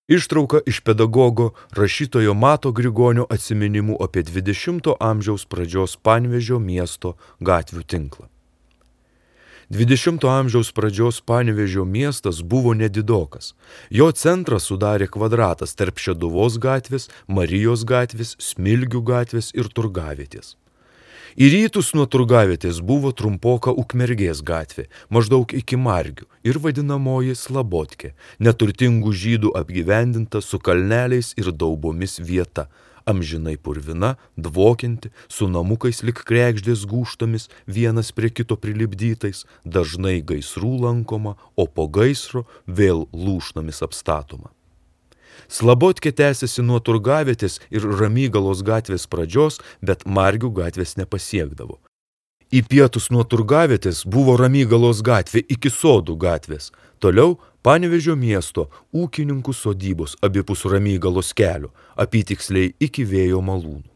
Ištrauka iš pedagogo rašytojo Mato Grigonio atsiminimų apie 20 amžiaus pradžios Panevėžio miesto gatvių tinklą. 20 amžiaus pradžios Panevėžio miestas buvo nedidokas. Jo centrą sudarė kvadratas tarp Šeduvos gatvės, Marijos gatvės, Smilgių gatvės ir Turgavietės. Į rytus nuo Turgavietės buvo trumpoka Ukmergės gatvė, maždaug iki Margių, ir vadinamoji Slabotkė, neturtingų žydų apgyvendinta su kalneliais ir daubomis vieta, amžinai purvina, dvokianti, su namukais lik kregždės gūžtomis, vienas prie kito prilipdytais, dažnai gaisrų lankoma, o po gaisro vėl lūšnomis apstatoma. Slabotkė tęsiasi nuo Turgavietės ir Ramygalos gatvės pradžios, bet Margių gatvės nepasiekdavo. Į pietus nuo Turgavietės buvo Ramygalos gatvė iki Sodų gatvės, toliau Panevėžio miesto ūkininkų sodybos abipus Ramygalos kelio, apytiksliai iki Vėjo malūnų.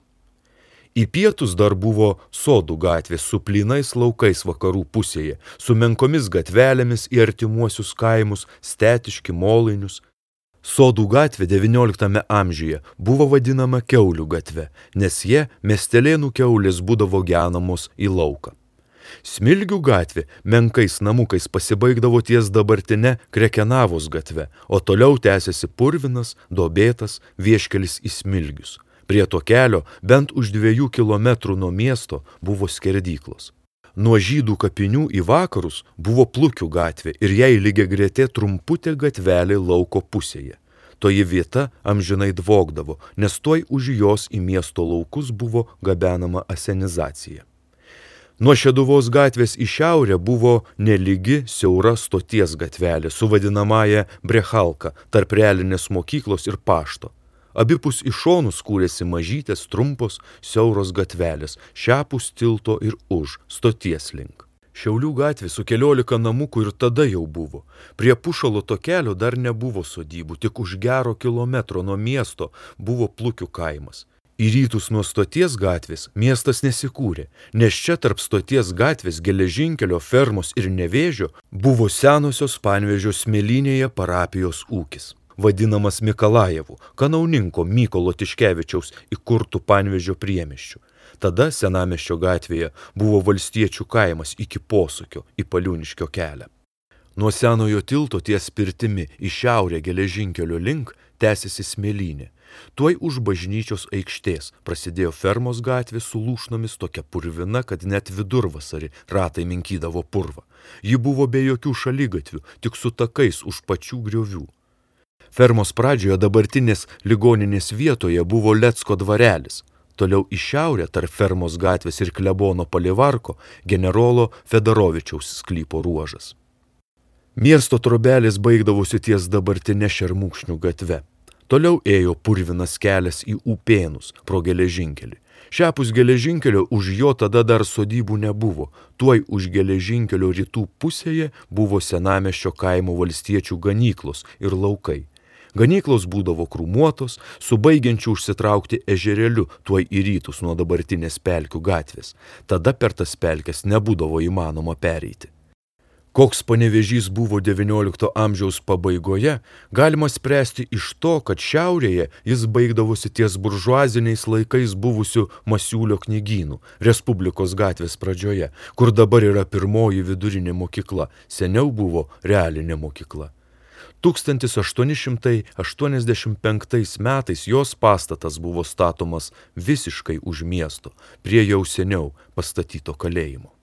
Į pietus dar buvo Sodų gatvė su plynais laukais vakarų pusėje, su menkomis gatvelėmis į artimuosius kaimus, Stetiškį, Molainius. Sodų gatvė XIX amžiuje buvo vadinama Kiaulių gatve, nes jie miestelėnų kiaulės būdavo genamos į lauką. Smilgių gatvė menkais namukais pasibaigdavo ties dabartine Krekenavos gatve, o toliau tęsiasi purvinas, duobėtas vieškelis į Smilgius. Prie to kelio bent už 2 kilometrų nuo miesto buvo skerdyklos. Nuo Žydų kapinių į vakarus buvo Plukių gatvė ir jai lygiagretė trumputė gatvelė lauko pusėje. Toji vieta amžinai dvogdavo, nes tuoj už jos į miesto laukus buvo gabenama asenizacija. Nuo Šeduvos gatvės į šiaurę buvo nelygi siaura stoties gatvelė su vadinamąja Brechalka tarp realinės mokyklos ir pašto. Abipus iš šonų kūrėsi mažytės, trumpos, siauros gatvelės, šiapus tilto ir už, stoties link. Šiaulių gatvė su 14 namukų ir tada jau buvo. Prie Pušalo to kelio dar nebuvo sodybų, tik už gero kilometro nuo miesto buvo Plukių kaimas. Į rytus nuo stoties gatvės miestas nesikūrė, nes čia tarp stoties gatvės, geležinkelio, fermos ir Nevėžio buvo senosios Panevėžio Smėlynėje parapijos ūkis, vadinamas Mikalajevų, kanauninko Mykolo Tiškevičiaus įkurtų Panevėžio priemiesčių. Tada Senamiesčio gatvėje buvo valstiečių kaimas iki posūkio į Paliūniškio kelią. Nuo senojo tilto ties pirtimi į šiaurę geležinkelio link tęsiasi Smėlynė. Tuoj už bažnyčios aikštės prasidėjo fermos gatvė su lūšnomis tokia purvina, kad net vidurvasarį ratai minkydavo purvą. Ji buvo be jokių šaligatvių, tik su takais už pačių griovių. Fermos pradžioje dabartinės ligoninės vietoje buvo Lecko dvarelis. Toliau į šiaurę tarp fermos gatvės ir klebono Palivarko generolo Fedorovičiaus sklypo ruožas. Miesto trobelis baigdavosi ties dabartinė Šermukšnių gatve. Toliau ėjo purvinas kelias į Upėnus pro geležinkelį. Šiapus geležinkelio už jo tada dar sodybų nebuvo. Tuoj už geležinkelio rytų pusėje buvo Senamiesčio kaimo valstiečių ganyklos ir laukai. Ganyklos būdavo krūmuotos, su baigiančiu užsitraukti ežereliu tuoj į rytus nuo dabartinės Pelkių gatvės. Tada per tas pelkes nebūdavo įmanoma pereiti. Koks Panevėžys buvo XIX amžiaus pabaigoje, galima spręsti iš to, kad šiaurėje jis baigdavosi ties buržuaziniais laikais buvusių Masiulio knygynų, Respublikos gatvės pradžioje, kur dabar yra pirmoji vidurinė mokykla, seniau buvo realinė mokykla. 1885 metais jos pastatas buvo statomas visiškai už miesto, prie jau seniau pastatyto kalėjimo.